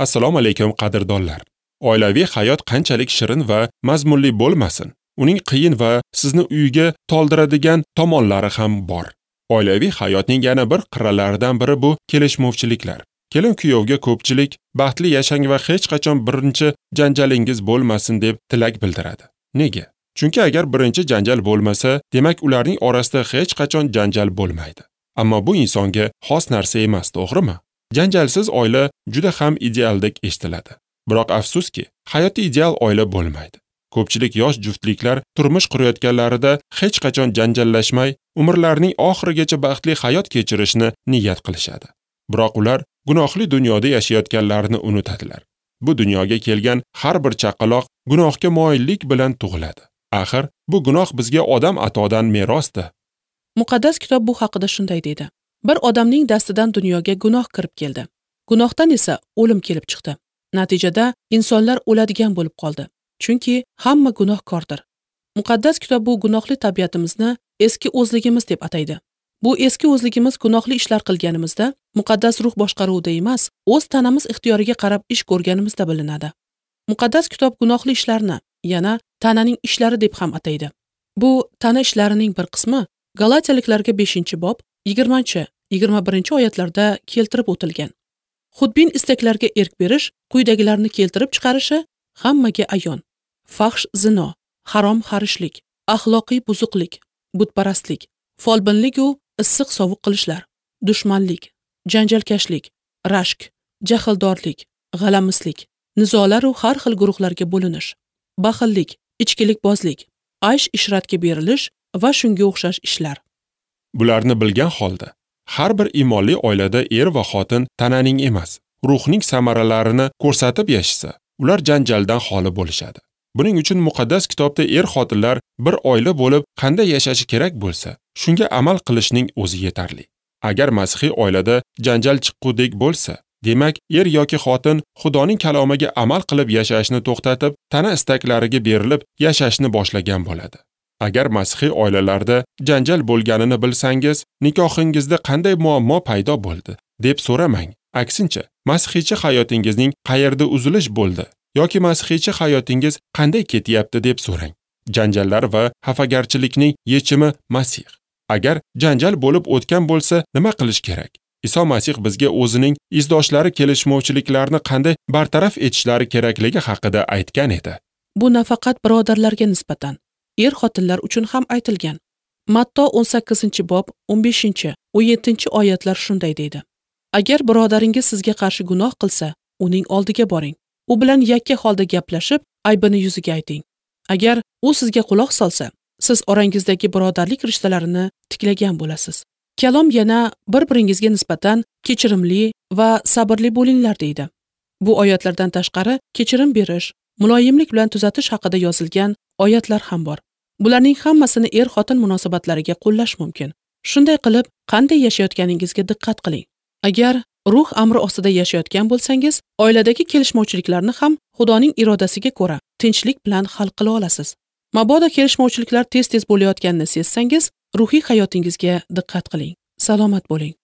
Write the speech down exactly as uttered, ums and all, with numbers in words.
Assalomu alaykum qadrdonlar. Oilaviy hayot qanchalik shirin va mazmunli bo'lmasin, uning qiyin va sizni uyga toldiradigan tomonlari ham bor. Oilaviy hayotning yana bir qirralaridan biri bu kelishmovchiliklar. Kelin-kuyovga ko'pchilik baxtli yashang va hech qachon birinchi janjalingiz bo'lmasin deb tilak bildiradi. Nega? Chunki agar birinchi janjal bo'lmasa, demak ularning orasida hech qachon janjal bo'lmaydi. Ammo bu insonga xos narsa emas, to'g'rimi? Janjalsiz oila juda ham idealdek eshitiladi. Biroq afsuski, hayotda ideal oila bo'lmaydi. Ko'pchilik yosh juftliklar turmush qurayotganlarida hech qachon janjallashmay, umrlarining oxirigacha baxtli hayot kechirishni niyat qilishadi. Biroq ular gunohli dunyoda yashayotganlarini unutadilar. Bu dunyoga kelgan har bir chaqaloq gunohga moyillik bilan tug'iladi. Axir, bu gunoh bizga odam atodan merosdir. Muqaddas kitob bu haqida shunday deydi. Bir odamning dastidan dunyoga gunoh kirib keldi. Gunohdan esa o'lim kelib chiqdi. Natijada insonlar o'ladigan bo'lib qoldi. Chunki hamma gunohkordir. Muqaddas kitob bu gunohli tabiatimizni eski o'zligimiz deb ataydi. Bu eski o'zligimiz gunohli ishlar qilganimizda, muqaddas ruh boshqaruvida emas, o'z tanamiz ixtiyoriga qarab ish ko'rganimizda bilinadi. Muqaddas kitob gunohli ishlarni yana tananing ishlari deb ham ataydi. Bu tana ishlarining bir qismi Galatiyaliklarga beshinchi bob yigirmanchi, yigirma birinchi oyatlarda keltirib o'tilgan. Xudbin istaklarga erk berish quyidagilarni keltirib chiqarishi hammaga ayon. Fahsh zino, harom xarishlik, axloqiy buzuqlik, butparastlik, folbinlik u issiq sovuq qilishlar, dushmanlik, janjalkashlik, rashk, jahldorlik, g'alamislik, nizolar u har xil guruhlarga bo'linish, baxillik, ichkilikbozlik, aysh ishratga berilish va shunga o'xshash ishlar. Bularni bilgan holda har bir iymonli oilada er va xotin tananing emas, ruhning samaralarini ko'rsatib yashasa, ular janjaldan xoli bo'lishadi. Buning uchun muqaddas kitobda er-xotinlar bir oila bo'lib qanday yashashi kerak bo'lsa, shunga amal qilishning o'zi yetarli. Agar masihiy oilada janjal chiqqudek bo'lsa, demak er yoki xotin Xudoning kalomiga amal qilib yashashni to'xtatib, tana istaklariga berilib yashashni boshlagan bo'ladi. Agar masihiy oilalarda janjal bo'lganini bilsangiz, nikohingizda qanday muammo paydo bo'ldi deb so'ramang. Aksincha, masihiycha hayotingizning qayerda uzilish bo'ldi yoki masihiycha hayotingiz qanday ketyapti deb so'rang. Janjallar va xafagarchilikning yechimi Masih. Agar janjal bo'lib o'tgan bo'lsa, nima qilish kerak? Iso Masih bizga o'zining izdoshlari kelishmovchiliklarni qanday bartaraf etishlari kerakligi haqida aytgan edi. Bu nafaqat birodarlarga nisbatan, er-xotinlar uchun ham aytilgan. Matto o'n sakkizinchi bob o'n beshinchi, o'n yettinchi oyatlar shunday deydi. Agar birodaringiz sizga qarshi gunoh qilsa, uning oldiga boring. U bilan yakka holda gaplashib, aybini yuziga ayting. Agar u sizga quloq solsa, siz orangizdagi birodarlik rishtalarini tiklagan bo'lasiz. Kalom yana bir-biringizga nisbatan kechirimli va sabrli bo'linglar deydi. Bu oyatlardan tashqari kechirim berish, muloyimlik bilan tuzatish haqida yozilgan oyatlar ham bor. Bularning hammasini er-xotin munosabatlariga qo'llash mumkin. Shunday qilib, qanday yashayotganingizga diqqat qiling. Agar ruh amri ostida yashayotgan bo'lsangiz, oiladagi kelishmovchiliklarni ham Xudoning irodasiga ko'ra tinchlik bilan hal qila olasiz. Mabodo kelishmovchiliklar tez-tez bo'layotganini sezsangiz, ruhiy hayotingizga diqqat qiling. Salomat bo'ling.